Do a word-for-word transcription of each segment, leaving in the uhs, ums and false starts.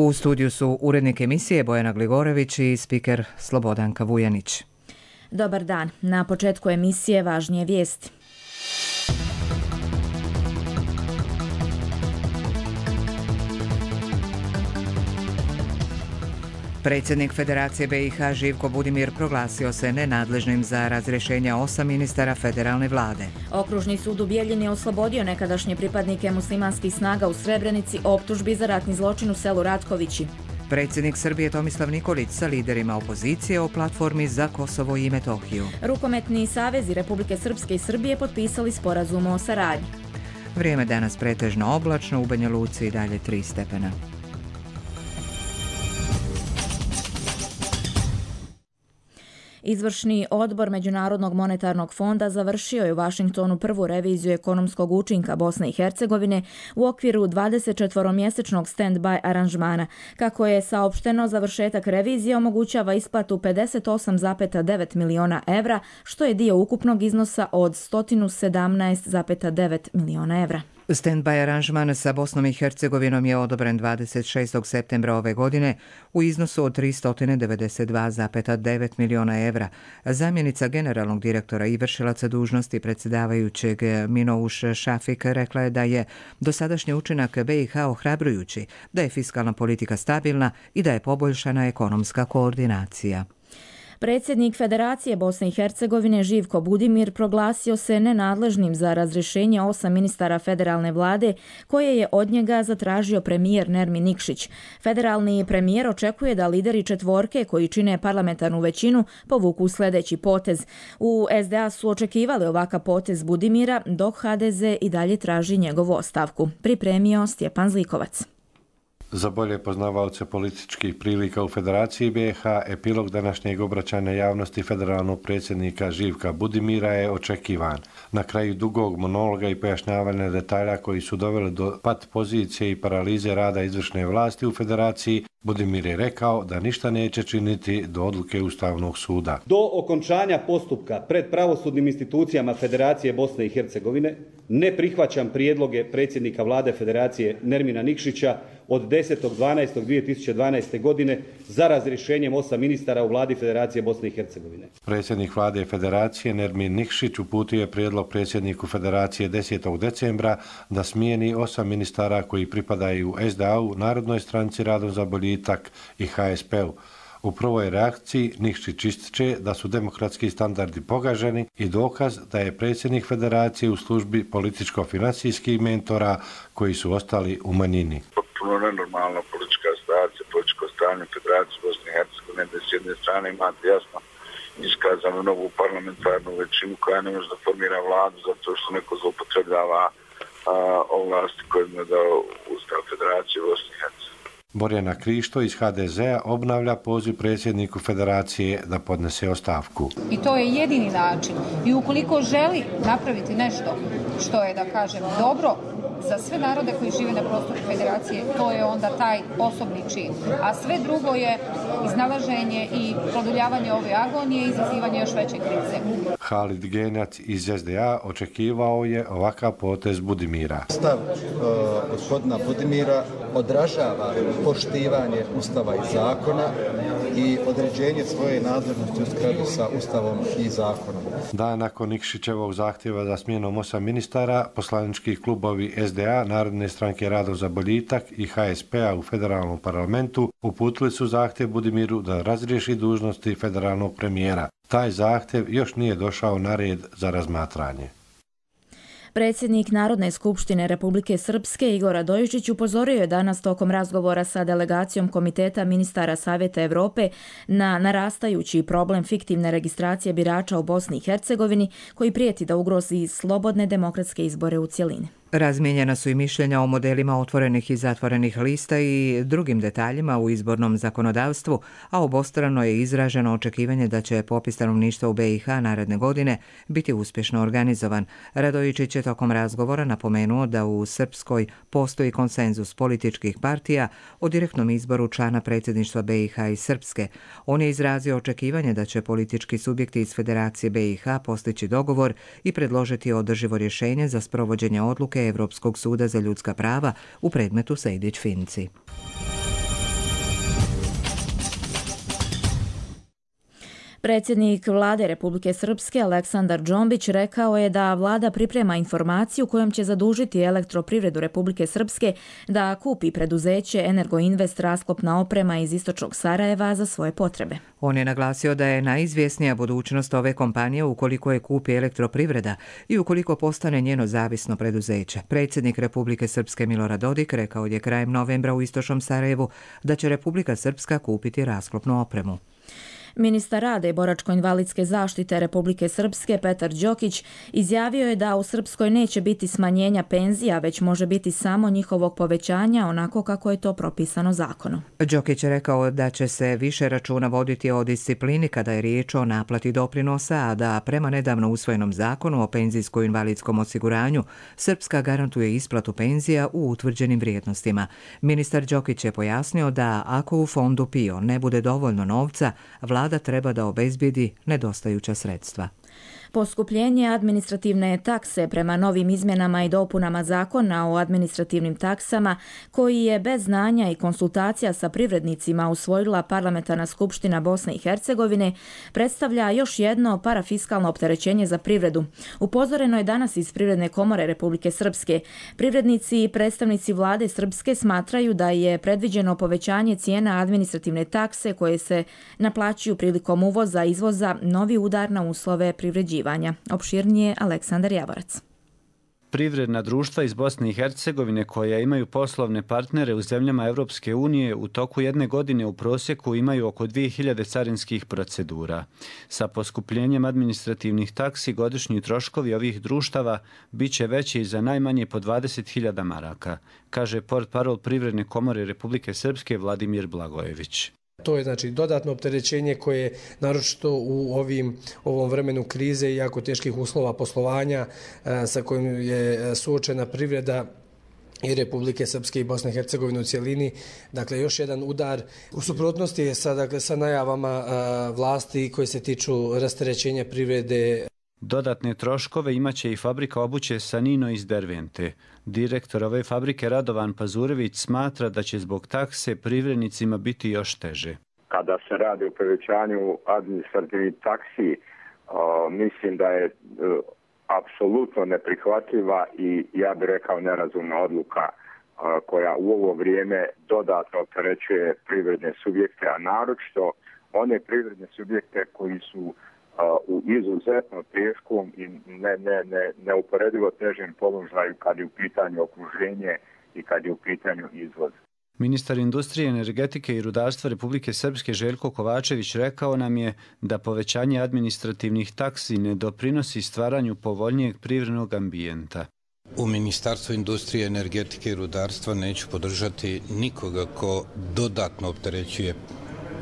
U studiju su urednik emisije Bojana Gligorević i spiker Slobodanka Vujanić. Dobar dan. Na početku emisije važnije vijesti. Predsjednik Federacije B i H Živko Budimir proglasio se nenadležnim za razrješenje osam ministara federalne vlade. Okružni sud u Bijeljini je oslobodio nekadašnje pripadnike muslimanskih snaga u Srebrenici optužbi za ratni zločin u selu Ratkovići. Predsjednik Srbije Tomislav Nikolić sa liderima opozicije o platformi za Kosovo i Metohiju. Rukometni savezi Republike Srpske i Srbije potpisali sporazum o saradnji. Vrijeme danas pretežno oblačno, u Banja Luci i dalje tri stepena. Izvršni odbor Međunarodnog monetarnog fonda završio je u Vašingtonu prvu reviziju ekonomskog učinka Bosne i Hercegovine u okviru dvadesetčetvoromjesečnog stand-by aranžmana. Kako je saopšteno, završetak revizije omogućava isplatu pedeset osam zarez devet miliona evra, što je dio ukupnog iznosa od sto sedamnaest zarez devet miliona evra. Stand-by aranžman sa Bosnom i Hercegovinom je odobren dvadeset šestog septembra ove godine u iznosu od tristo devedeset dva zarez devet miliona evra. Zamjenica generalnog direktora i vršilaca dužnosti predsjedavajućeg Minouš Šafik rekla je da je dosadašnji učinak B i H ohrabrujući, da je fiskalna politika stabilna i da je poboljšana ekonomska koordinacija. Predsjednik Federacije Bosne i Hercegovine Živko Budimir proglasio se nenadležnim za razrješenje osam ministara federalne vlade koje je od njega zatražio premijer Nermin Nikšić. Federalni premijer očekuje da lideri četvorke koji čine parlamentarnu većinu povuku sljedeći potez. U S D A su očekivali ovakav potez Budimira, dok H D Z i dalje traži njegovu ostavku. Pripremio Stjepan Zlikovac. Za bolje poznavalce političkih prilika u Federaciji B i H, epilog današnjeg obraćanja javnosti federalnog predsjednika Živka Budimira je očekivan. Na kraju dugog monologa i pojašnjavanja detalja koji su doveli do pat pozicije i paralize rada izvršne vlasti u Federaciji, Budimir je rekao da ništa neće činiti do odluke Ustavnog suda. Do okončanja postupka pred pravosudnim institucijama Federacije Bosne i Hercegovine ne prihvaćam prijedloge predsjednika vlade Federacije Nermina Nikšića od desetog dvanaestog dvije tisuće dvanaeste. godine za razrješenjem osam ministara u vladi Federacije Bosne i Hercegovine. Predsjednik vlade Federacije Nermin Nikšić uputio je prijedlog predsjedniku Federacije desetog decembra da smijeni osam ministara koji pripadaju S D A-u, Narodnoj stranci Radom za boljitak i H S P-u. U prvoj reakciji Nikšić ističe da su demokratski standardi pogaženi i dokaz da je predsjednik Federacije u službi političko-financijskih mentora koji su ostali u manjini. Potpuno nenormalna politička situacija, političko stanje Federacije Bosne i Hercegovine, da s jedne strane imate jasno iskazanu novu parlamentarnu većinu koja ne može da formira vladu zato što neko zloupotrebljava ovlasti koje mu je dao Ustav Federacije Bosne i Hercegovine. Borjana Krišto iz H D Z-a obnavlja poziv predsjedniku Federacije da podnese ostavku. I to je jedini način. I ukoliko želi napraviti nešto što je, da kažem, dobro za sve narode koji žive na prostoru Federacije, to je onda taj osobni čin. A sve drugo je iznalaženje i produljavanje ove agonije i izazivanje još veće krize. Halid Genjac iz S D A očekivao je ovakav potez Budimira. Stav uh, gospodina Budimira odražava poštivanje Ustava i zakona i određenje svoje nadležnosti u skladu sa Ustavom i zakonom. Dan nakon Nikšićevog zahtjeva za smjenom osam ministara, poslanički klubovi S D A, Narodne stranke Radom za boljitak i H S P-a u federalnom parlamentu uputili su zahtjev Budimiru da razriješi dužnosti federalnog premijera. Taj zahtjev još nije došao na red za razmatranje. Predsjednik Narodne skupštine Republike Srpske Igor Radojičić upozorio je danas tokom razgovora sa delegacijom Komiteta ministara Savjeta Europe na narastajući problem fiktivne registracije birača u Bosni i Hercegovini koji prijeti da ugrozi slobodne demokratske izbore u cjelini. Razmijenjena su i mišljenja o modelima otvorenih i zatvorenih lista i drugim detaljima u izbornom zakonodavstvu, a obostrano je izraženo očekivanje da će popis stanovništva u B i H naredne godine biti uspješno organizovan. Radojičić je tokom razgovora napomenuo da u Srpskoj postoji konsenzus političkih partija o direktnom izboru člana predsjedništva B i H i Srpske. On je izrazio očekivanje da će politički subjekti iz Federacije B i H postići dogovor i predložiti održivo rješenje za sprovođenje odluke Europskog suda za ljudska prava u predmetu Sejdić-Finci. Predsjednik vlade Republike Srpske Aleksandar Džombić rekao je da vlada priprema informaciju kojom će zadužiti Elektroprivredu Republike Srpske da kupi preduzeće Energoinvest rasklopna oprema iz istočnog Sarajeva za svoje potrebe. On je naglasio da je najizvjesnija budućnost ove kompanije ukoliko je kupi Elektroprivreda i ukoliko postane njeno zavisno preduzeće. Predsjednik Republike Srpske Milorad Dodik rekao je krajem novembra u istočnom Sarajevu da će Republika Srpska kupiti rasklopnu opremu. Ministar rada i boračko-invalidske zaštite Republike Srpske Petar Đokić izjavio je da u Srpskoj neće biti smanjenja penzija, već može biti samo njihovog povećanja onako kako je to propisano zakonom. Đokić je rekao da će se više računa voditi o disciplini kada je riječ o naplati doprinosa, a da prema nedavno usvojenom zakonu o penzijsko-invalidskom osiguranju Srpska garantuje isplatu penzija u utvrđenim vrijednostima. Ministar Đokić je pojasnio da ako u fondu P I O ne bude dovoljno novca, vlada Vlada treba da obezbijedi nedostajuća sredstva. Poskupljenje administrativne takse prema novim izmjenama i dopunama zakona o administrativnim taksama, koji je bez znanja i konsultacija sa privrednicima usvojila Parlamentarna skupština Bosne i Hercegovine, predstavlja još jedno parafiskalno opterećenje za privredu. Upozoreno je danas iz Privredne komore Republike Srpske. Privrednici i predstavnici vlade Srpske smatraju da je predviđeno povećanje cijena administrativne takse koje se naplaćuju prilikom uvoza i izvoza novi udar na uslove privređivanja. Opširnije Aleksandar Javorac. Privredna društva iz Bosne i Hercegovine koja imaju poslovne partnere u zemljama Europske unije u toku jedne godine u prosjeku imaju oko dvije hiljade carinskih procedura. Sa poskupljenjem administrativnih taksi godišnji troškovi ovih društava bit će veći za najmanje po dvadeset hiljada maraka, kaže portparol Privredne komore Republike Srpske Vladimir Blagojević. To je znači dodatno opterećenje koje naročito u ovim ovom vremenu krize i jako teških uslova poslovanja sa kojim je suočena privreda i Republike Srpske i Bosne i Hercegovine u cjelini. Dakle, još jedan udar u suprotnosti je sa, dakle, sa najavama vlasti koje se tiču rasterećenja privrede. Dodatne troškove imaće i fabrika obuće Sanino iz Dervente. Direktor ove fabrike Radovan Pazurević smatra da će zbog takse privrednicima biti još teže. Kada se radi o povećanju administrativnih taksi, o, mislim da je o, apsolutno neprihvatljiva i ja bih rekao nerazumna odluka o, koja u ovo vrijeme dodatno opterećuje privredne subjekte, a naročito one privredne subjekte koji su u izuzetno teškom i ne, ne, ne, neuporedivo težem položaju kad je u pitanju okruženje i kad je u pitanju izvoz. Ministar industrije, energetike i rudarstva Republike Srpske Željko Kovačević rekao nam je da povećanje administrativnih taksi ne doprinosi stvaranju povoljnijeg privrednog ambijenta. U Ministarstvu industrije, energetike i rudarstva neću podržati nikoga ko dodatno opterećuje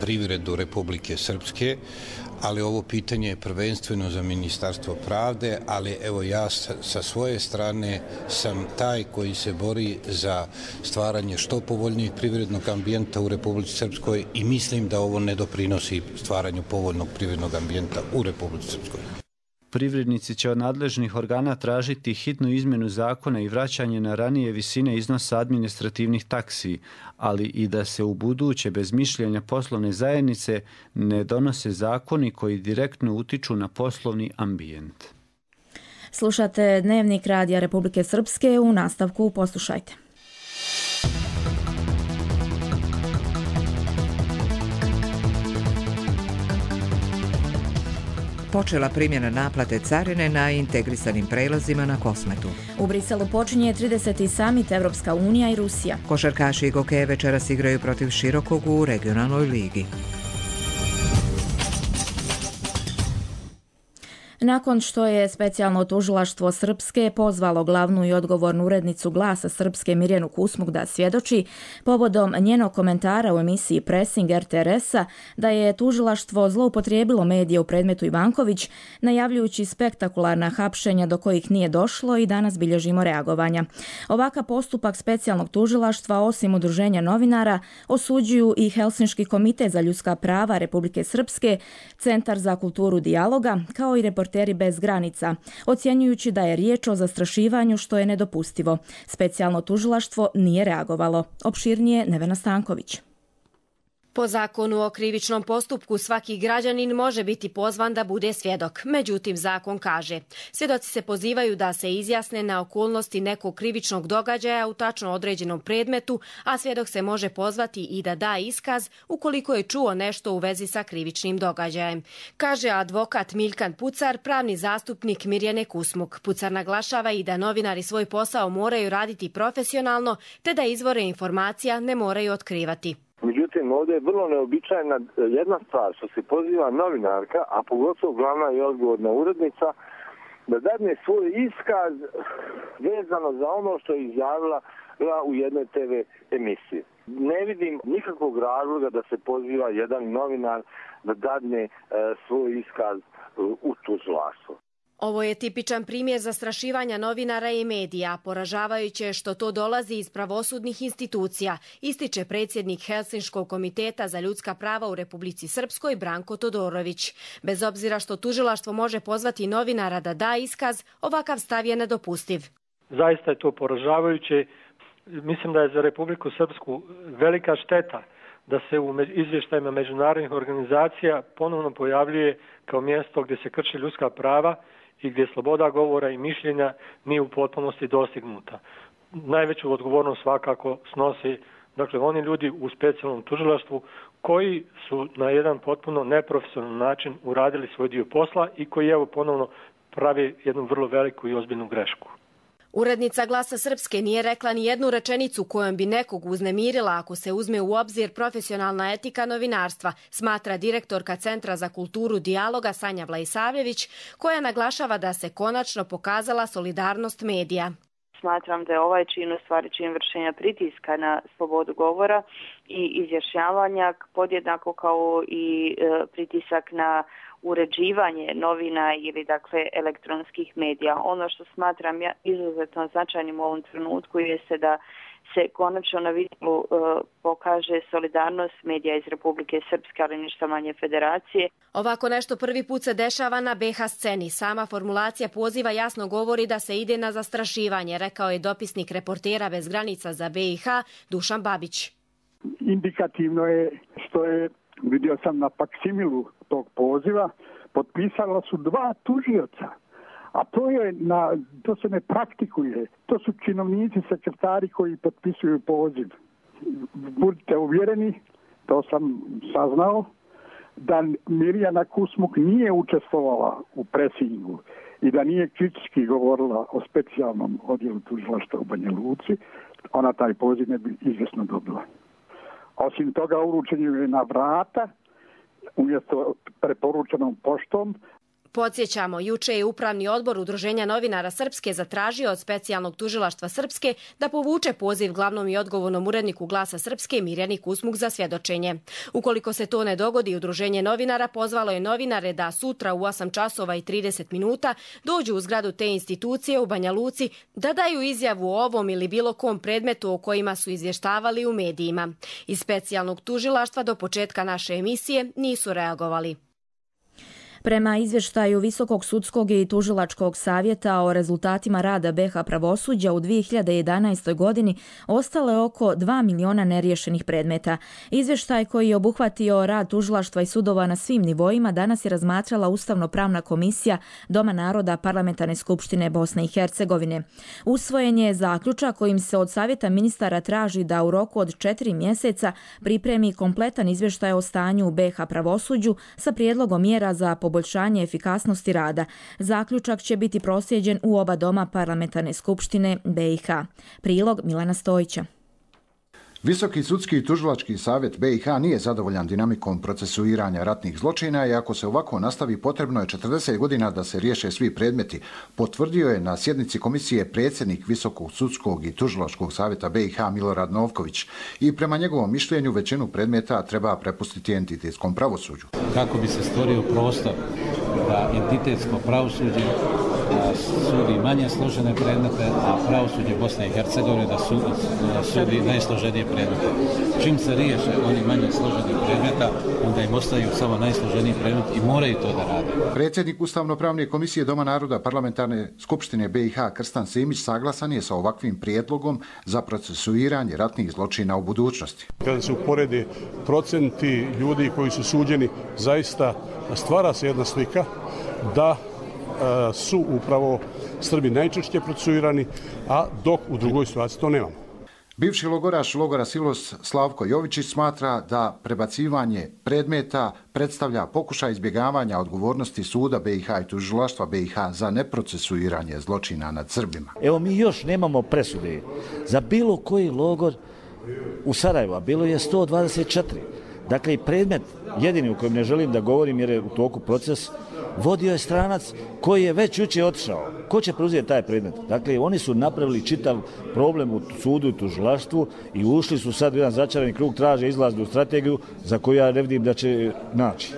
privredu Republike Srpske, ali ovo pitanje je prvenstveno za Ministarstvo pravde, ali evo ja sa svoje strane sam taj koji se bori za stvaranje što povoljnijeg privrednog ambijenta u Republici Srpskoj i mislim da ovo ne doprinosi stvaranju povoljnog privrednog ambijenta u Republici Srpskoj. Privrednici će od nadležnih organa tražiti hitnu izmjenu zakona i vraćanje na ranije visine iznosa administrativnih taksi, ali i da se u buduće bez mišljenja poslovne zajednice ne donose zakoni koji direktno utiču na poslovni ambijent. Slušate Dnevnik Radija Republike Srpske, u nastavku poslušajte. Počela primjena naplate carine na integrisanim prelazima na Kosmetu. U Briselu počinje trideseti samit Evropska unija i Rusija. Košarkaši i gokeje večeras igraju protiv Širokog u regionalnoj ligi. Nakon što je specijalno tužilaštvo Srpske pozvalo glavnu i odgovornu urednicu Glasa Srpske Mirjanu Kusmuk da svjedoči povodom njenog komentara u emisiji Pressing R T R S-a da je tužilaštvo zloupotrijebilo medije u predmetu Ivanković, najavljujući spektakularna hapšenja do kojih nije došlo i danas bilježimo reagovanja. Ovakav postupak specijalnog tužilaštva, osim udruženja novinara, osuđuju i Helsinški komitet za ljudska prava Republike Srpske, Centar za kulturu dijaloga, kao i Reporteri bez granica, ocjenjujući da je riječ o zastrašivanju što je Po zakonu o krivičnom postupku svaki građanin može biti pozvan da bude svjedok. Međutim, zakon kaže, svjedoci se pozivaju da se izjasne na okolnosti nekog krivičnog događaja u tačno određenom predmetu, a svjedok se može pozvati i da da iskaz ukoliko je čuo nešto u vezi sa krivičnim događajem. Kaže advokat Miljkan Pucar, pravni zastupnik Mirjane Kusmuk. Pucar naglašava i da novinari svoj posao moraju raditi profesionalno, te da izvore informacija ne moraju otkrivati. Međutim, ovdje je vrlo neobičajna jedna stvar što se poziva novinarka, a pogotovo glavna i odgovorna urednica, da dadne svoj iskaz vezano za ono što je izjavila u jednoj te ve emisiji. Ne vidim nikakvog razloga da se poziva jedan novinar da dadne e, svoj iskaz u tužilaštvo. Ovo je tipičan primjer zastrašivanja novinara i medija. Poražavajuće je što to dolazi iz pravosudnih institucija, ističe predsjednik Helsinškog komiteta za ljudska prava u Republici Srpskoj Branko Todorović. Bez obzira što tužilaštvo može pozvati novinara da da iskaz, ovakav stav je nedopustiv. Zaista je to poražavajuće. Mislim da je za Republiku Srpsku velika šteta da se u izvještajima međunarodnih organizacija ponovno pojavljuje kao mjesto gdje se krše ljudska prava i gdje sloboda govora i mišljenja nije u potpunosti dostignuta. Najveću odgovornost svakako snose dakle, oni ljudi u specijalnom tužilaštvu koji su na jedan potpuno neprofesionalan način uradili svoj dio posla i koji evo ponovno pravi jednu vrlo veliku i ozbiljnu grešku. Urednica Glasa Srpske nije rekla ni jednu rečenicu kojom bi nekog uznemirila ako se uzme u obzir profesionalna etika novinarstva, smatra direktorka Centra za kulturu dijaloga Sanja Vlaisavljević, koja naglašava da se konačno pokazala solidarnost medija. Smatram da je ovaj čin u stvari čin vršenja pritiska na slobodu govora i izjašnjavanja, podjednako kao i e, pritisak na uređivanje novina ili dakle elektronskih medija. Ono što smatram ja izuzetno značajnim u ovom trenutku jeste da se konačno na vidjelu e, pokaže solidarnost medija iz Republike Srpske, ali ništa manje federacije. Ovako nešto prvi put se dešava na be ha sceni. Sama formulacija poziva jasno govori da se ide na zastrašivanje, rekao je dopisnik Reportera bez granica za be i ha Dušan Babić. Indikativno je što je, vidio sam na faksimilu tog poziva, potpisala su dva tužioca. A to, je na, to se ne praktikuje. To su činovnici, sekretari koji potpisuju poziv. Budite uvjereni, to sam saznao, da Mirjana Kusmuk nije učestvovala u presingu i da nije kritički govorila o specijalnom odjelu tužilaštva u Banja Luci, ona taj poziv ne bi izvjesno dobila. Osim toga, uručen je na vrata, umjesto preporučenom poštom. Podsjećamo, juče je Upravni odbor Udruženja novinara Srpske zatražio od specijalnog tužilaštva Srpske da povuče poziv glavnom i odgovornom uredniku Glasa Srpske Mirjani Kusmuk za svjedočenje. Ukoliko se to ne dogodi, Udruženje novinara pozvalo je novinare da sutra u osam časova i trideset minuta dođu u zgradu te institucije u Banja Luci da daju izjavu o ovom ili bilo kom predmetu o kojima su izvještavali u medijima. Iz specijalnog tužilaštva do početka naše emisije nisu reagovali. Prema izvještaju Visokog sudskog i tužilačkog savjeta o rezultatima rada be ha pravosuđa u dvije hiljade jedanaestoj. godini ostalo je oko dva miliona neriješenih predmeta. Izvještaj koji je obuhvatio rad tužilaštva i sudova na svim nivoima danas je razmatrala Ustavno-pravna komisija Doma naroda Parlamentarne skupštine Bosne i Hercegovine. Usvojen je zaključak kojim se od savjeta ministara traži da u roku od četiri mjeseca pripremi kompletan izvještaj o stanju u be ha pravosuđu sa prijedlogom mjera za poboljšanje poboljšanje efikasnosti rada. Zaključak će biti proslijeđen u oba doma Parlamentarne skupštine be i ha. Prilog Milana Stojića. Visoki sudski i tužilački savjet be i ha nije zadovoljan dinamikom procesuiranja ratnih zločina i ako se ovako nastavi potrebno je četrdeset godina da se riješe svi predmeti, potvrdio je na sjednici komisije predsjednik Visokog sudskog i tužilačkog savjeta be i ha Milorad Novković i prema njegovom mišljenju većinu predmeta treba prepustiti entitetskom pravosuđu. Kako bi se stvorio prostor da entitetsko pravosuđe sudi manje složene predmete, a pravosuđe Bosne i Hercegovine da, su, da sudi najsloženije predmete. Čim se riješe oni manje složeni predmeta, onda im ostaju samo najsloženiji predmet i moraju to da rade. Predsjednik Ustavno-pravne komisije Doma naroda Parlamentarne skupštine B i H Krstan Simić saglasan je sa ovakvim prijedlogom za procesuiranje ratnih zločina u budućnosti. Kada se uporedi procenti ljudi koji su suđeni, zaista stvara se jedna slika da e, su upravo Srbi najčešće procesuirani, a dok u drugoj situaciji to nemamo. Bivši logoraš logora Silos Slavko Jovičić smatra da prebacivanje predmeta predstavlja pokušaj izbjegavanja odgovornosti suda B i H i tužilaštva B i H za neprocesuiranje zločina nad Srbima. Evo mi još nemamo presude za bilo koji logor u Sarajevu, a bilo je sto dvadeset četiri. Dakle, i predmet, jedini u kojem ne želim da govorim jer je u toku proces, vodio je stranac koji je već jučer otišao. Ko će preuzeti taj predmet? Dakle, oni su napravili čitav problem u sudu i tužilaštvu i ušli su sad u jedan začarani krug, traže izlaznu strategiju za koju ja ne vidim da će naći.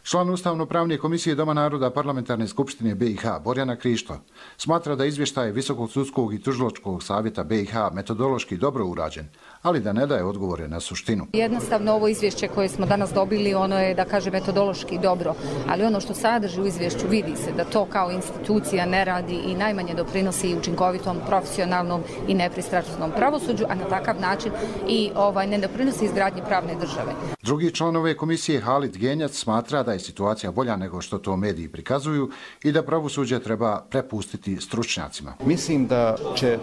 Član Ustavno-pravne komisije Doma naroda Parlamentarne skupštine B i H Borjana Krišto smatra da izvještaj Visokog sudskog i tužilačkog savjeta B i H metodološki dobro urađen, ali da ne daje odgovore na suštinu. Jednostavno ovo izvješće koje smo danas dobili, ono je, da kaže, metodološki dobro, ali ono što sadrži u izvješću vidi se da to kao institucija ne radi i najmanje doprinosi učinkovitom, profesionalnom i nepristrasnom pravosuđu, a na takav način i ovaj, ne doprinosi izgradnji pravne države. Drugi članove komisije Halid Genjac smatra da je situacija bolja nego što to mediji prikazuju i da pravosuđe treba prepustiti stručnjacima. Mislim da će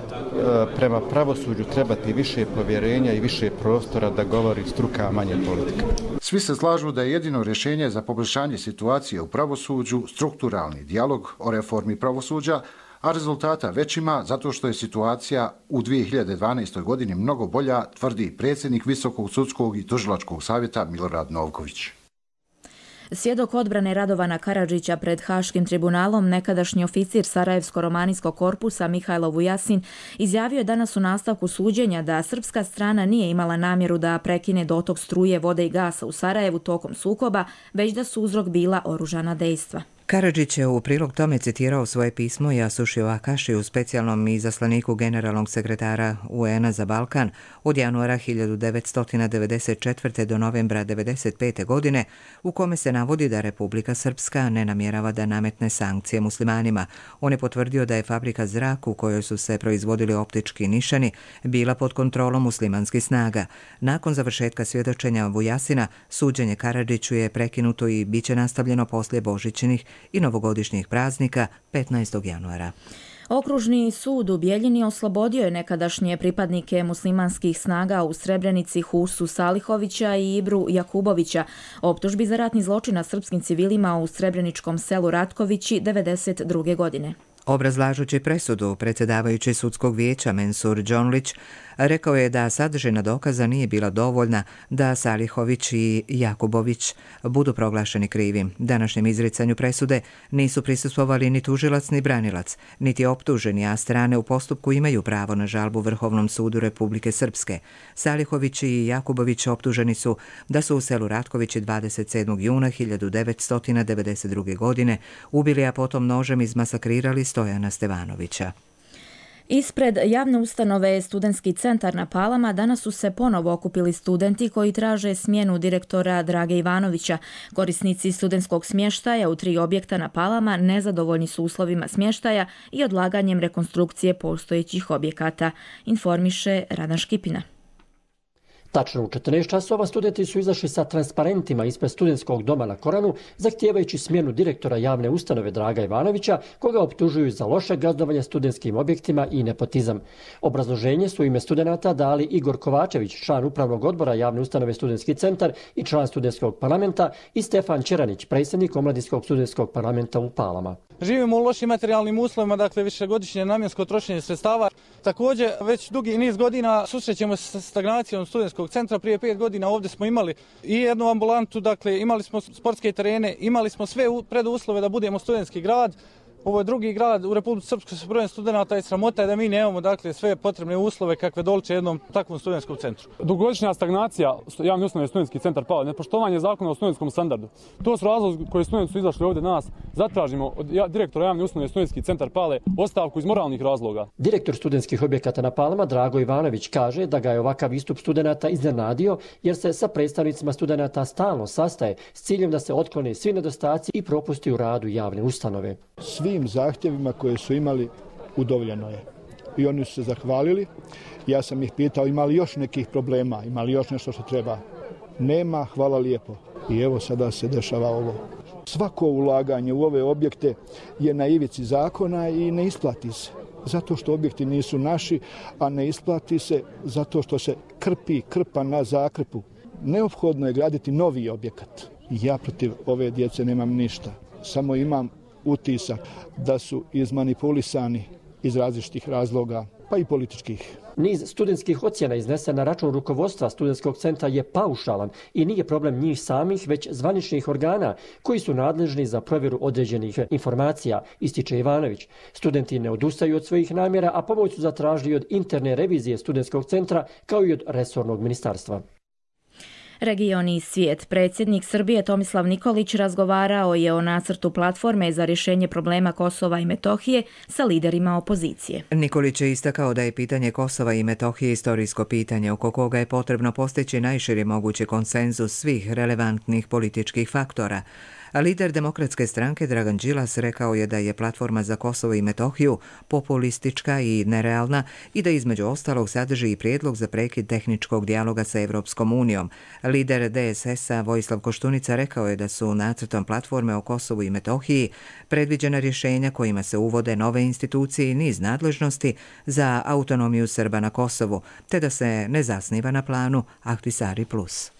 prema pravosuđu trebati više povjerenja i više prostora da govori struka, a manje politika. Svi se slažu da je jedino rješenje za poboljšanje situacije u pravosuđu strukturalni dijalog o reformi pravosuđa, a rezultata već ima zato što je situacija u dvije hiljade dvanaestoj. godini mnogo bolja, tvrdi predsjednik Visokog sudskog i tužilačkog savjeta Milorad Novković. Svjedok odbrane Radovana Karadžića pred Haškim tribunalom, nekadašnji oficir Sarajevsko-romanijskog korpusa Mihajlo Vujasin, izjavio je danas u nastavku suđenja da srpska strana nije imala namjeru da prekine dotok struje, vode i gasa u Sarajevu tokom sukoba, već da su uzrok bila oružana dejstva. Karadžić je u prilog tome citirao svoje pismo Jasušiju Akašiju, specijalnom izaslaniku generalnog sekretara U N a za Balkan od januara hiljadu devetsto devedeset četvrte. do novembra devedeset pete. godine, u kome se navodi da Republika Srpska ne namjerava da nametne sankcije muslimanima. On je potvrdio da je fabrika Zrak u kojoj su se proizvodili optički nišani bila pod kontrolom muslimanskih snaga. Nakon završetka svjedočenja Vujasina, suđenje Karadžiću je prekinuto i bit će nastavljeno poslije božićnih i novogodišnjih praznika petnaestog januara. Okružni sud u Bijeljini oslobodio je nekadašnje pripadnike muslimanskih snaga u Srebrenici Husu Salihovića i Ibru Jakubovića optužbi za ratni zločin nad srpskim civilima u srebreničkom selu Ratkovići devedeset druge. godine. Obrazlažući presudu, predsjedavajući sudskog vijeća Mensur Đonlić rekao je da sadržina dokaza nije bila dovoljna da Salihović i Jakubović budu proglašeni krivim. Današnjem izricanju presude nisu prisustvovali ni tužilac ni branilac, niti optuženi, a strane u postupku imaju pravo na žalbu Vrhovnom sudu Republike Srpske. Salihović i Jakubović optuženi su da su u selu Ratkovići dvadeset sedmog juna hiljadu devetsto devedeset druge. godine ubili, a potom nožem izmasakrirali Stojana Stevanovića. Ispred javne ustanove Studentski centar na Palama danas su se ponovo okupili studenti koji traže smjenu direktora Drage Ivanovića. Korisnici studentskog smještaja u tri objekta na Palama nezadovoljni su uslovima smještaja i odlaganjem rekonstrukcije postojećih objekata, informiše Radan Škipina. Tačno u četrnaest časova studenti su izašli sa transparentima ispred studentskog doma na Koranu, zahtijevajući smjenu direktora javne ustanove Draga Ivanovića, koga optužuju za loše gazdovanje studentskim objektima i nepotizam. Obrazloženje su u ime studenata dali Igor Kovačević, član upravnog odbora javne ustanove Studentski centar i član studentskog parlamenta, i Stefan Čeranić, predsjednik omladinskog studentskog parlamenta u Palama. Živimo u lošim materijalnim uslovima, dakle višegodišnje namjensko trošenje sredstava. Također, već dugi niz godina susrećemo se sa stagnacijom studentskog centra. Prije pet godina ovdje smo imali i jednu ambulantu, dakle imali smo sportske terene, imali smo sve preduslove da budemo studentski grad. Ovo je drugi grad u Republici Srpskoj sa brojem studenata i sramota je da mi nemamo dakle sve potrebne uslove kakve doliče jednom takvom studentskom centru. Dugogodišnja stagnacija javne ustanove Studentski centar Pale, nepoštovanje zakona o studentskom standardu. To su razlozi koji studenti su izašli ovdje nas. Zatražimo od direktora javne ustanove Studentski centar Pale ostavku iz moralnih razloga. Direktor studentskih objekata na Palama Drago Ivanović kaže da ga je ovakav istup studenata iznenadio jer se sa predstavnicima studenata stalno sastaje s ciljem da se otklone svi nedostaci i propusti u radu javne ustanove. Svim zahtjevima koje su imali udovoljeno je. I oni su se zahvalili. Ja sam ih pitao ima li još nekih problema, ima li još nešto što treba. Nema, hvala lijepo. I evo sada se dešava ovo. Svako ulaganje u ove objekte je na ivici zakona i ne isplati se. Zato što objekti nisu naši, a ne isplati se zato što se krpi krpa na zakrpu. Neophodno je graditi novi objekat. Ja protiv ove djece nemam ništa. Samo imam utisak da su izmanipulisani iz različitih razloga, pa i političkih. Niz studentskih ocjena iznesen na račun rukovodstva studentskog centra je paušalan i nije problem njih samih, već zvaničnih organa koji su nadležni za provjeru određenih informacija, ističe Ivanović. Studenti ne odustaju od svojih namjera, a pomoć su zatražili od interne revizije studentskog centra kao i od resornog ministarstva. Region i svijet. Predsjednik Srbije Tomislav Nikolić razgovarao je o nacrtu platforme za rješenje problema Kosova i Metohije sa liderima opozicije. Nikolić je istakao da je pitanje Kosova i Metohije historijsko pitanje oko koga je potrebno postići najširi mogući konsenzus svih relevantnih političkih faktora. A lider Demokratske stranke Dragan Đilas rekao je da je platforma za Kosovo i Metohiju populistička i nerealna i da između ostalog sadrži i prijedlog za prekid tehničkog dijaloga sa Evropskom unijom. Lider D S S-a Vojislav Koštunica rekao je da su nacrtom platforme o Kosovu i Metohiji predviđena rješenja kojima se uvode nove institucije i niz nadležnosti za autonomiju Srba na Kosovu, te da se ne zasniva na planu Ahtisari plus.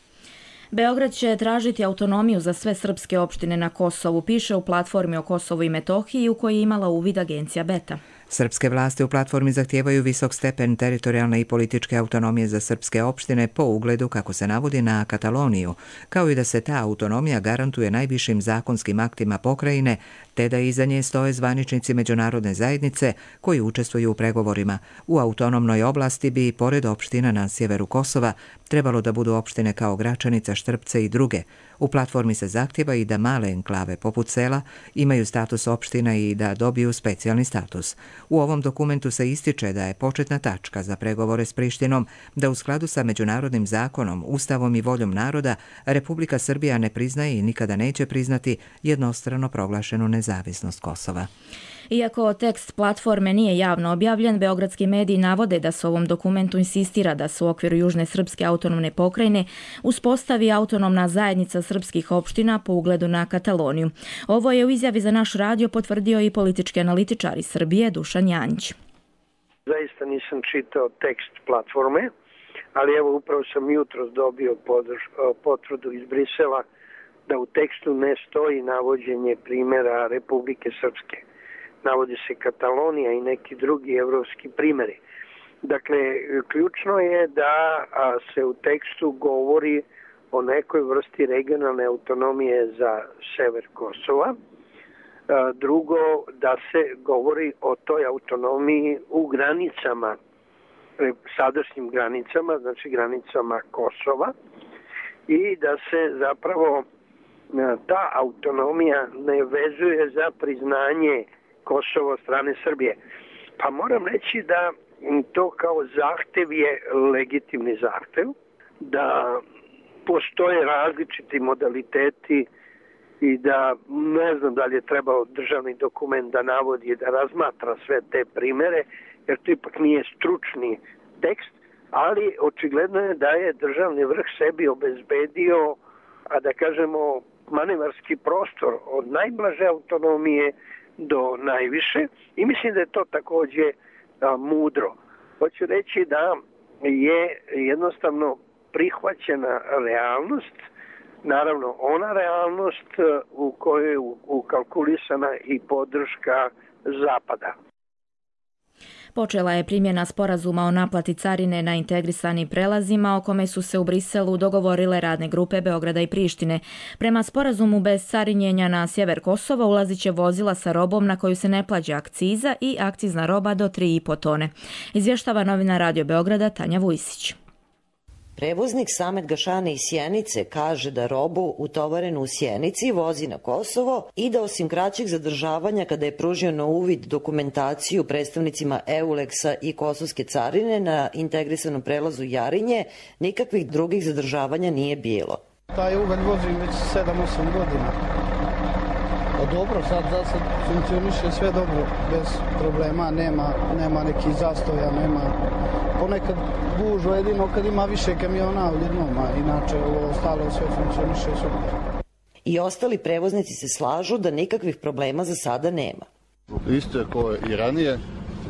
Beograd će tražiti autonomiju za sve srpske opštine na Kosovu, piše u platformi o Kosovu i Metohiji u kojoj je imala uvid agencija Beta. Srpske vlasti u platformi zahtijevaju visok stepen teritorijalne i političke autonomije za srpske opštine po ugledu, kako se navodi, na Kataloniju, kao i da se ta autonomija garantuje najvišim zakonskim aktima pokrajine, te da iza nje stoje zvaničnici međunarodne zajednice koji učestvuju u pregovorima. U autonomnoj oblasti bi, pored opština na sjeveru Kosova, trebalo da budu opštine kao Gračanica, Štrpce i druge. U platformi se zahtjeva i da male enklave poput sela imaju status opština i da dobiju specijalni status. U ovom dokumentu se ističe da je početna tačka za pregovore s Prištinom da u skladu sa međunarodnim zakonom, ustavom i voljom naroda Republika Srbija ne priznaje i nikada neće priznati jednostrano proglašenu nezavisnost Kosova. Iako tekst platforme nije javno objavljen, beogradski mediji navode da se u ovom dokumentu insistira da se u okviru Južne srpske autonomne pokrajine uspostavi autonomna zajednica srpskih opština po ugledu na Kataloniju. Ovo je u izjavi za naš radio potvrdio i politički analitičar iz Srbije Dušan Janjić. Zaista nisam čitao tekst platforme, ali evo upravo sam jutros dobio podrž, potvrdu iz Brisela da u tekstu ne stoji navođenje primjera Republike Srpske. Navodi se Katalonija i neki drugi evropski primjeri. Dakle, ključno je da se u tekstu govori o nekoj vrsti regionalne autonomije za sever Kosova. Drugo, da se govori o toj autonomiji u granicama, sadašnjim granicama, znači granicama Kosova, i da se zapravo ta autonomija ne vezuje za priznanje Kosovo od strane Srbije. Pa moram reći da to kao zahtev je legitimni zahtev, da postoje različiti modaliteti i da ne znam da li je trebao državni dokument da navodi, da razmatra sve te primere, jer to ipak nije stručni tekst, ali očigledno je da je državni vrh sebi obezbedio, a da kažemo, manevarski prostor od najblaže autonomije do najviše i mislim da je to također a, mudro. Hoću reći da je jednostavno prihvaćena realnost, naravno ona realnost u kojoj je ukalkulisana i podrška Zapada. Počela je primjena sporazuma o naplati carine na integrisanim prelazima o kome su se u Briselu dogovorile radne grupe Beograda i Prištine. Prema sporazumu bez carinjenja na sjever Kosova ulazit će vozila sa robom na koju se ne plaća akciza i akcizna roba do tri i po tone. Izvještava novina Radio Beograda Tanja Vujsić. Prevoznik Samet Gašani iz Sjenice kaže da robu utovarenu u Sjenici vozi na Kosovo i da osim kraćeg zadržavanja kada je pružio na uvid dokumentaciju predstavnicima Euleksa i Kosovske carine na integrisanom prelazu Jarinje, nikakvih drugih zadržavanja nije bilo. Taj ugalj vozim već sedam osam godina. O dobro, sad za sad funkcioniše sve dobro, bez problema, nema, nema nekih zastoja, nema ponekad gužva jedino kad ima više kamiona u jednom, a inače ovo ostalo sve funkcioniše super. I ostali prevoznici se slažu da nikakvih problema za sada nema. Isto je kao i ranije,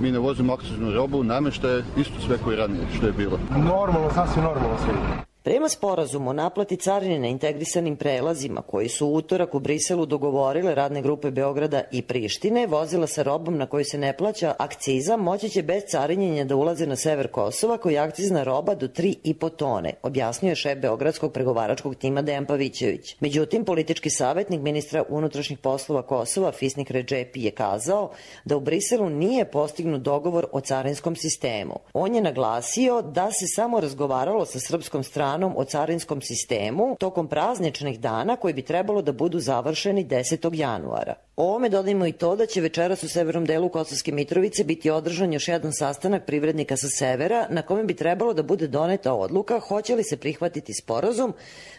mi ne vozimo akciznu robu, namještaje isto sve kao i ranije što je bilo. Normalno, sasvim normalno sve. Prema sporazumu o naplati carine na integrisanim prelazima koji su u utorak u Briselu dogovorile radne grupe Beograda i Prištine, vozila sa robom na koju se ne plaća akciza moći će bez carinjenja da ulaze na sever Kosova koji je akcizna roba do tri i po tone, objasnio je šef Beogradskog pregovaračkog tima Dejan Pavićević. Međutim, politički savjetnik ministra unutrašnjih poslova Kosova Fisnik Redžepi je kazao da u Briselu nije postignut dogovor o carinskom sistemu. On je naglasio da se samo razgovaralo sa srpskom stranom o carinskom sistemu tokom prazničnih dana koji bi trebalo da budu završeni desetog januara. O ovome dodajmo i to da će večeras u severnom delu Kosovske Mitrovice biti održan još jedan sastanak privrednika sa severa na kome bi trebalo da bude doneta odluka hoće li se prihvatiti sporazum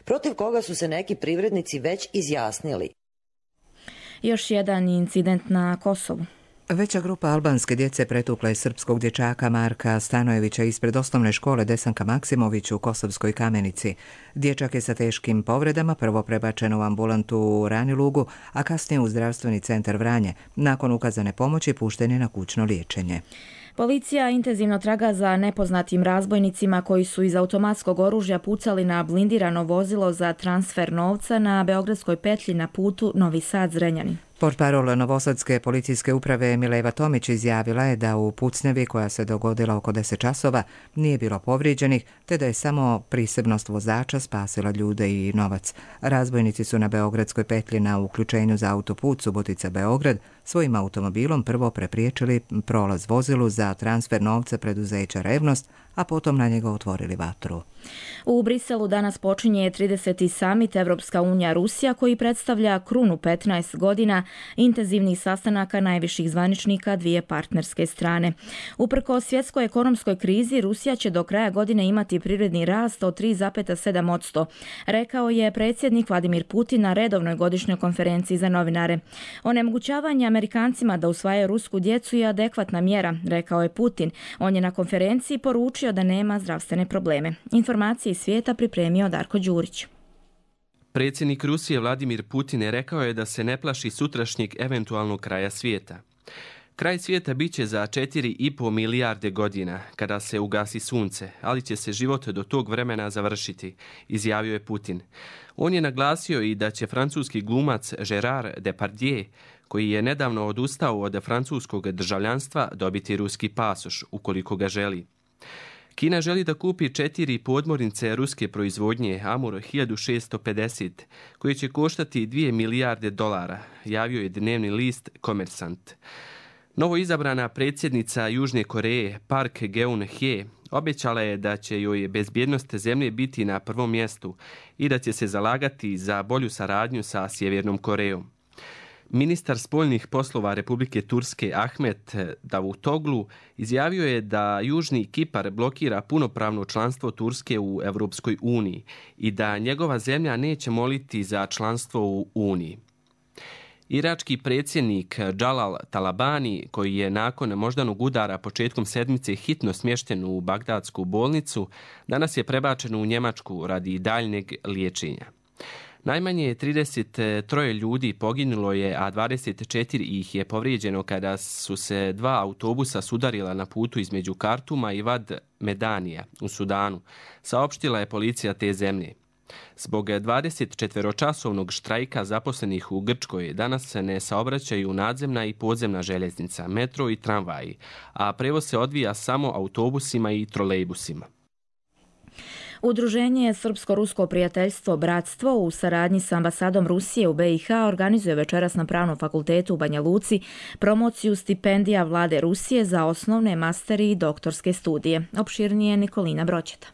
protiv koga su se neki privrednici već izjasnili. Još jedan incident na Kosovu. Veća grupa albanske djece pretukla je srpskog dječaka Marka Stanojevića ispred osnovne škole Desanka Maksimović u Kosovskoj Kamenici. Dječak je sa teškim povredama prvo prebačen u ambulantu u Ranilugu, a kasnije u zdravstveni centar Vranje. Nakon ukazane pomoći pušten je na kućno liječenje. Policija intenzivno traga za nepoznatim razbojnicima koji su iz automatskog oružja pucali na blindirano vozilo za transfer novca na Beogradskoj petlji na putu Novi Sad-Zrenjanin. Portparol Novosadske policijske uprave Mileva Tomić izjavila je da u pucnjevi koja se dogodila oko deset časova nije bilo povrijeđenih, te da je samo prisebnost vozača spasila ljude i novac. Razbojnici su na Beogradskoj petlji na uključenju za autoput Subotica-Beograd svojim automobilom prvo prepriječili prolaz vozilu za transfer novca preduzeća Revnost, a potom na njega otvorili vatru. U Briselu danas počinje trideseti samit Evropska unija Rusija koji predstavlja krunu petnaest godina intenzivnih sastanaka najviših zvaničnika dvije partnerske strane. Uprkos svjetskoj ekonomskoj krizi, Rusija će do kraja godine imati privredni rast od tri zarez sedam posto, rekao je predsjednik Vladimir Putin na redovnoj godišnjoj konferenciji za novinare. Onemogućavanje Amerikancima da usvajaju rusku djecu je adekvatna mjera, rekao je Putin. On je na konferenciji poručio da nema zdravstvene probleme. Informacije iz svijeta pripremio Darko Đurić. Predsjednik Rusije Vladimir Putin je rekao je da se ne plaši sutrašnjeg eventualnog kraja svijeta. Kraj svijeta biće za četiri i po milijarde godina kada se ugasi sunce, ali će se život do tog vremena završiti, izjavio je Putin. On je naglasio i da će francuski glumac Gérard Depardieu, koji je nedavno odustao od francuskog državljanstva, dobiti ruski pasoš ukoliko ga želi. Kina želi da kupi četiri podmornice ruske proizvodnje Amur hiljadu šessto pedeset, koje će koštati dvije milijarde dolara, javio je dnevni list Komersant. Novo izabrana predsjednica Južne Koreje Park Geun-hye obećala je da će joj bezbjednost zemlje biti na prvom mjestu i da će se zalagati za bolju saradnju sa Sjevernom Korejom. Ministar spoljnih poslova Republike Turske Ahmet Davutoglu izjavio je da Južni Kipar blokira punopravno članstvo Turske u Europskoj uniji i da njegova zemlja neće moliti za članstvo u Uniji. Irački predsjednik Jalal Talabani, koji je nakon moždanog udara početkom sedmice hitno smješten u Bagdadsku bolnicu, danas je prebačen u Njemačku radi daljnjeg liječenja. Najmanje trideset tri ljudi poginulo je, a dvadeset četiri ih je povrijeđeno kada su se dva autobusa sudarila na putu između Kartuma i Vad Medanija u Sudanu, saopštila je policija te zemlje. Zbog dvadesetčetvoročasovnog štrajka zaposlenih u Grčkoj danas se ne saobraćaju nadzemna i podzemna željeznica, metro i tramvaji, a prevoz se odvija samo autobusima i trolejbusima. Udruženje Srpsko-rusko prijateljstvo Bratstvo u saradnji s ambasadom Rusije u B i H organizuje večeras na Pravnom fakultetu u Banja Luci promociju stipendija vlade Rusije za osnovne, masteri i doktorske studije. Opširnije Nikolina Broćeta.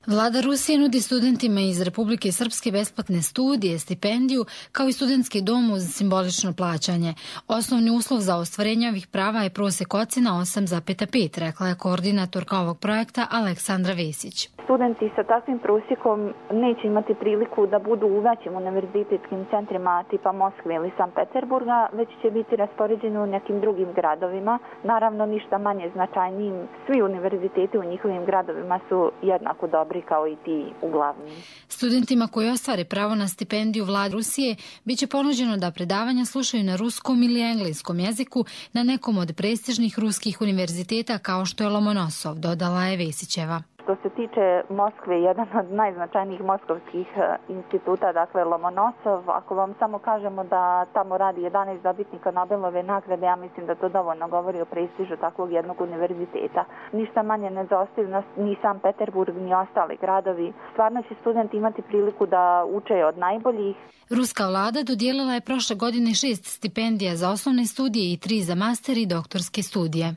Vlada Rusije nudi studentima iz Republike Srpske besplatne studije, stipendiju, kao i studentski dom uz simbolično plaćanje. Osnovni uslov za ostvarenje ovih prava je prosjek ocena osam zarez pet, rekla je koordinatorka ovog projekta Aleksandra Vesić. Studenti sa takvim prosjekom neće imati priliku da budu u većim univerzitetskim centrima tipa Moskve ili Sankt Peterburga, već će biti raspoređeni u nekim drugim gradovima. Naravno, ništa manje značajnijim. Svi univerziteti u njihovim gradovima su jednako dobri kao i ti uglavnim. Studentima koji ostvare pravo na stipendiju vlade Rusije bit će ponuđeno da predavanja slušaju na ruskom ili engleskom jeziku na nekom od prestižnih ruskih univerziteta kao što je Lomonosov, dodala je Vesićeva. Što se tiče Moskve, jedan od najznačajnijih moskovskih instituta, dakle Lomonosov, ako vam samo kažemo da tamo radi jedanaest dobitnika Nobelove nagrade, ja mislim da to dovoljno govori o prestižu takvog jednog univerziteta. Ništa manje ne zaostaju ni Sankt Peterburg, ni ostali gradovi. Stvarno će studenti imati priliku da uče od najboljih. Ruska vlada dodijelila je prošle godine šest stipendija za osnovne studije i tri za master i doktorske studije.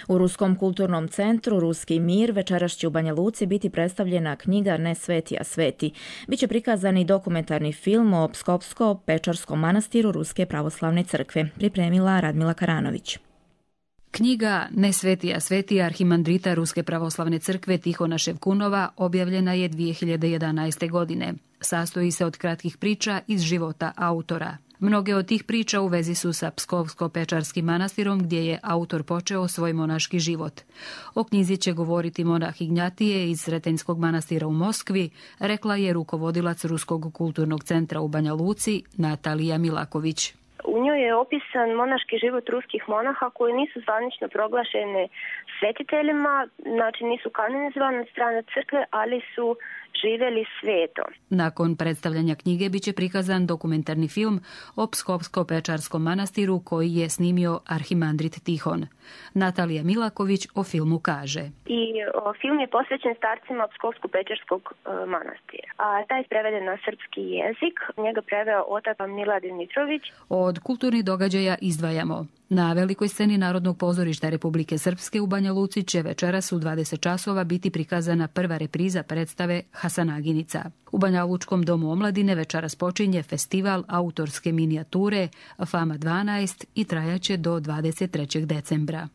U Ruskom kulturnom centru Ruski mir večeras će u Banja Luci biti predstavljena knjiga Ne sveti, a sveti. Biće prikazan i dokumentarni film o Pskopsko-Pečarskom manastiru Ruske pravoslavne crkve, pripremila Radmila Karanović. Knjiga Ne sveti, a sveti arhimandrita Ruske pravoslavne crkve Tihona Ševkunova objavljena je dvije hiljade jedanaeste. godine. Sastoji se od kratkih priča iz života autora. Mnoge od tih priča u vezi su sa Pskovsko-Pečarskim manastirom gdje je autor počeo svoj monaški život. O knjizi će govoriti monah Ignjatije iz Sretenjskog manastira u Moskvi, rekla je rukovodilac Ruskog kulturnog centra u Banja Luci Natalija Milaković. U njoj je opisan monaški život ruskih monaha koji nisu zvanično proglašeni svetiteljima, znači nisu kanonizovani od strane crkve, ali su živjeli sveto. Nakon predstavljanja knjige biće prikazan dokumentarni film o Pskovsko-Pečarskom manastiru koji je snimio arhimandrit Tihon. Natalija Milaković o filmu kaže. I o, film je posvećen starcima Pskovsko-Pečarskog e, manastira. A taj je preveden na srpski jezik. Njega preveo otac Miladin Mitrović. Od kulturnih događaja izdvajamo. Na velikoj sceni Narodnog pozorišta Republike Srpske u Banja Luci će večeras u dvadeset časova biti prikazana prva repriza predstave Hasanaginica. U Banja Lučkom domu omladine večeras počinje festival autorske minijature Fama dvanaest i trajaće do dvadeset trećeg decembra.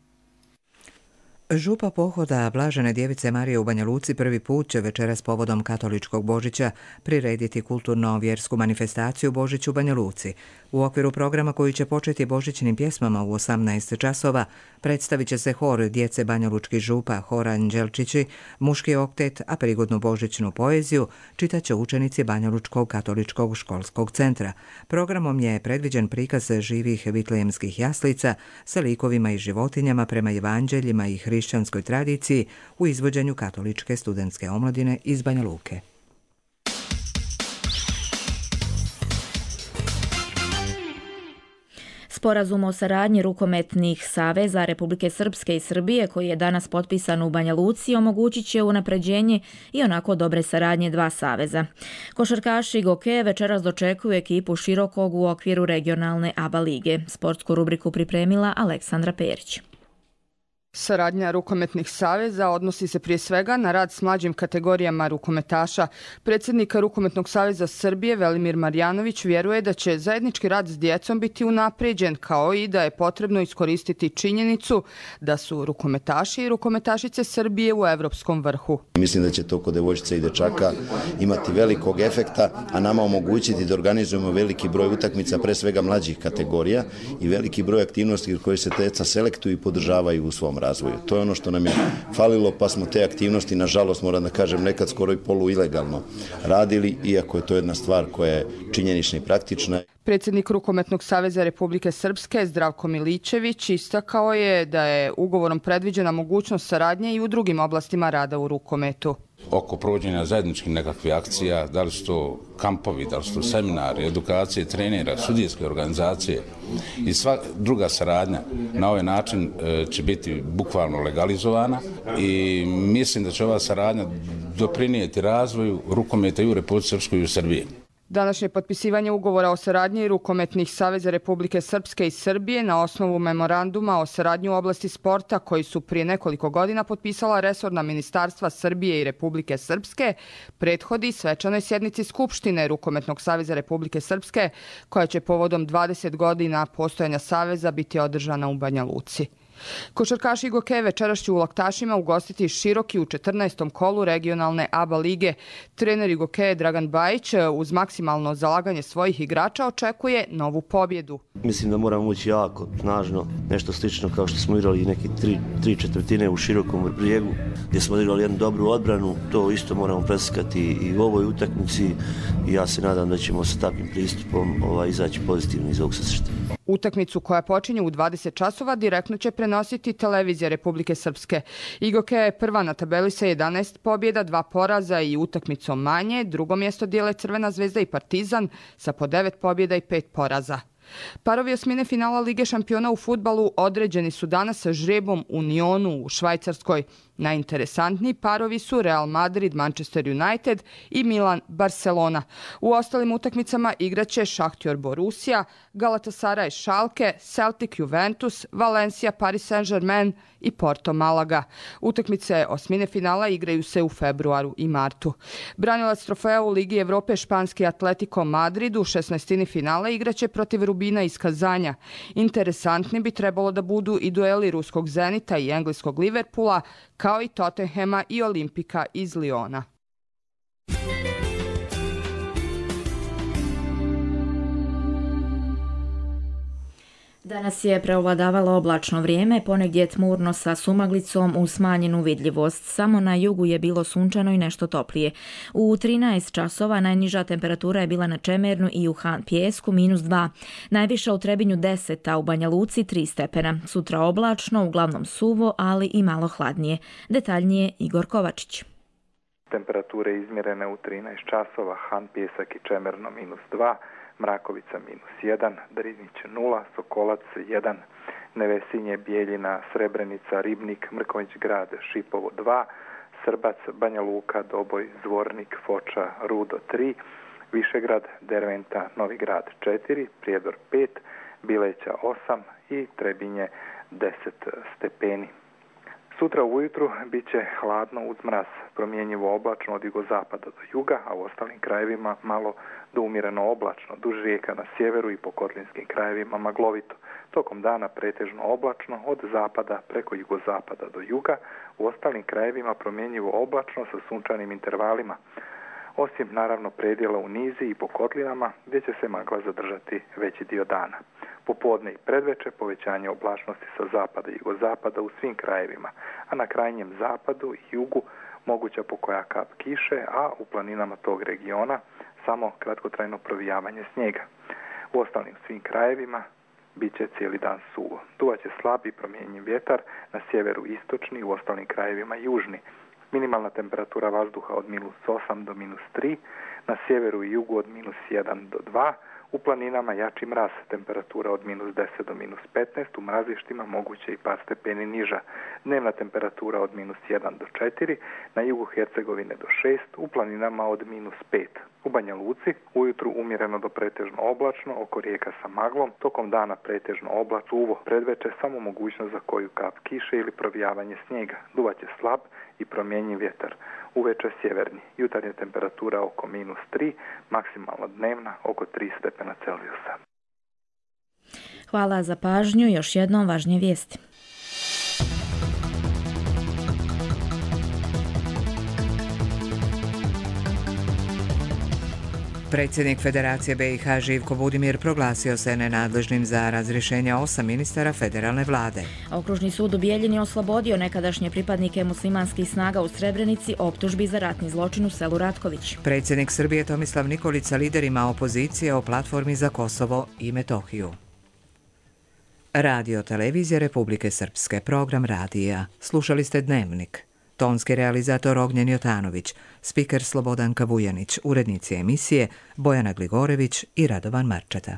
Župa pohoda Blažene djevice Marije u Banja Luci prvi put će večeras povodom katoličkog Božića prirediti kulturno-vjersku manifestaciju Božić u Banja Luci. U okviru programa koji će početi božićnim pjesmama u osamnaest časova predstavit će se hor djece banjalučkih župa, hor Anđelčići, muški oktet, a prigodnu božićnu poeziju čitaće učenici Banjalučkog katoličkog školskog centra. Programom je predviđen prikaz živih vitlejemskih jaslica sa likovima i životinjama prema evanđeljima i hrišćanskoj tradiciji u izvođenju katoličke studentske omladine iz Banja Luke. Sporazum o saradnji rukometnih saveza Republike Srpske i Srbije koji je danas potpisan u Banja Luci omogućit će unapređenje i onako dobre saradnje dva saveza. Košarkaši Goke večeras dočekuju ekipu Širokog u okviru regionalne A B A lige. Sportsku rubriku pripremila Aleksandra Perić. Saradnja rukometnih saveza odnosi se prije svega na rad s mlađim kategorijama rukometaša. Predsjednik Rukometnog saveza Srbije Velimir Marjanović vjeruje da će zajednički rad s djecom biti unapređen, kao i da je potrebno iskoristiti činjenicu da su rukometaši i rukometašice Srbije u evropskom vrhu. Mislim da će to kod devojčica i dečaka imati velikog efekta, a nama omogućiti da organizujemo veliki broj utakmica, pre svega mlađih kategorija i veliki broj aktivnosti koje se djeca selektuju i podržavaju u svom razvoju. To je ono što nam je falilo, pa smo te aktivnosti, nažalost, moram da kažem, nekad skoro i polu ilegalno radili, iako je to jedna stvar koja je činjenična i praktična. Predsjednik Rukometnog saveza Republike Srpske Zdravko Miličević istakao je da je ugovorom predviđena mogućnost saradnje i u drugim oblastima rada u rukometu. oko provođenja zajedničkih nekakvih akcija, da li su to kampovi, da li su to seminari, edukacije, trenera, sudijske organizacije i sva druga saradnja na ovaj način će biti bukvalno legalizovana i mislim da će ova saradnja doprinijeti razvoju rukometa i u Republici Srpskoj i u Srbiji. Današnje potpisivanje ugovora o saradnji rukometnih saveza Republike Srpske i Srbije na osnovu memoranduma o saradnji u oblasti sporta koji su prije nekoliko godina potpisala resorna ministarstva Srbije i Republike Srpske prethodi svečanoj sjednici Skupštine Rukometnog saveza Republike Srpske koja će povodom dvadeset godina postojanja saveza biti održana u Banja Luci. Košarkaši Igoke večeras će u Laktašima ugostiti Široki u četrnaestom kolu regionalne A B A lige. Trener Igoke Dragan Bajić uz maksimalno zalaganje svojih igrača očekuje novu pobjedu. Mislim da moramo ući jako snažno, nešto slično kao što smo igrali neke tri, tri četvrtine u Širokom Brijegu, gdje smo igrali jednu dobru odbranu, to isto moramo preslikati i u ovoj utakmici i ja se nadam da ćemo sa takvim pristupom ovaj, izaći pozitivno iz ovog susreta. Utakmicu koja počinje u dvadeset časova direktno će prenositi televizija Republike Srpske. Igoke je prva na tabeli sa jedanaest pobjeda, dva poraza i utakmicom manje. Drugo mjesto dijele Crvena zvezda i Partizan sa po devet pobjeda i pet poraza. Parovi osmine finala Lige šampiona u fudbalu određeni su danas sa žrebom u Nyonu u Švajcarskoj. Najinteresantniji parovi su Real Madrid, Manchester United i Milan Barcelona. U ostalim utakmicama igraće Šahtjor Borussia, Galatasaray Schalke, Celtic Juventus, Valencia Paris Saint-Germain i Porto Malaga. Utakmice osmine finala igraju se u februaru i martu. Branilac trofeja u Ligi Evrope španski Atletico Madrid u šesnaestini finala igraće protiv Rubina iz Kazanja. Interesantni bi trebalo da budu i dueli ruskog Zenita i engleskog Liverpoola, kao i Tottenhema i Olimpika iz Liona. Danas je preovladavalo oblačno vrijeme, ponegdje tmurno sa sumaglicom uz smanjenu vidljivost. Samo na jugu je bilo sunčano i nešto toplije. U trinaest časova najniža temperatura je bila na Čemernu i u Han Pijesku minus dva. Najviša u Trebinju deset, a u Banja Luci tri stepena. Sutra oblačno, uglavnom suvo, ali i malo hladnije. Detaljnije Igor Kovačić. Temperature izmjerene u trinaest časova, Han Pijesak i Čemerno minus dva, Mrakovica minus jedan, Drinić nula, Sokolac jedan, Nevesinje, Bijeljina, Srebrenica, Ribnik, Mrkonjić grad, Šipovo dva, Srbac, Banja Luka, Doboj, Zvornik, Foča, Rudo tri, Višegrad, Derventa, Novi grad četiri, Prijedor pet, Bileća osam i Trebinje deset stepeni. Sutra ujutru bit će hladno uz mraz, promjenjivo oblačno od jugozapada do juga, a u ostalim krajevima malo do umjereno oblačno, duž rijeka na sjeveru i po kotlinskim krajevima maglovito. Tokom dana pretežno oblačno od zapada preko jugozapada do juga, u ostalim krajevima promjenjivo oblačno sa sunčanim intervalima, osim naravno predjela u nizi i po kotlinama gdje će se magla zadržati veći dio dana. Popodne i predveče povećanje oblačnosti sa zapada i jugozapada u svim krajevima, a na krajnjem zapadu i jugu moguća pokoja kap kiše, a u planinama tog regiona samo kratkotrajno provijavanje snijega. U ostalim svim krajevima bit će cijeli dan suvo. Duvaće slabi promjenjiv vjetar, na sjeveru istočni, u ostalim krajevima južni. Minimalna temperatura vazduha od minus osam do minus tri, na sjeveru i jugu od minus jedan do dva, u planinama jači mraz, temperatura od minus deset do minus petnaest, u mrazištima moguće i par stepeni niža. Dnevna temperatura od minus jedan do četiri, na jugu Hercegovine do šest, u planinama od minus pet. U Banja Luci ujutru umjereno do pretežno oblačno, oko rijeka sa maglom, tokom dana pretežno oblačno, suvo, predveče samo mogućnost za koju kap kiše ili provijavanje snijega. Duvaće slab i promjenjiv vjetar. Uveče sjeverni, jutarnja temperatura oko minus tri, maksimalno dnevna oko tri stepena Celzijusa. Hvala za pažnju, još jednom važnije vijesti. Predsjednik Federacije B i H Živko Budimir proglasio se nenadležnim za razrješenje osam ministara federalne vlade. Okružni sud u Bijeljini oslobodio nekadašnje pripadnike muslimanskih snaga u Srebrenici optužbi za ratni zločin u selu Ratković. Predsjednik Srbije Tomislav Nikolić sa liderima opozicije o platformi za Kosovo i Metohiju. Radio Televizija Republike Srpske, program radija. Slušali ste Dnevnik. tonski realizator Ognjen Jotanović, spiker Slobodanka Vujanić, urednici emisije Bojana Gligorević i Radovan Marčeta.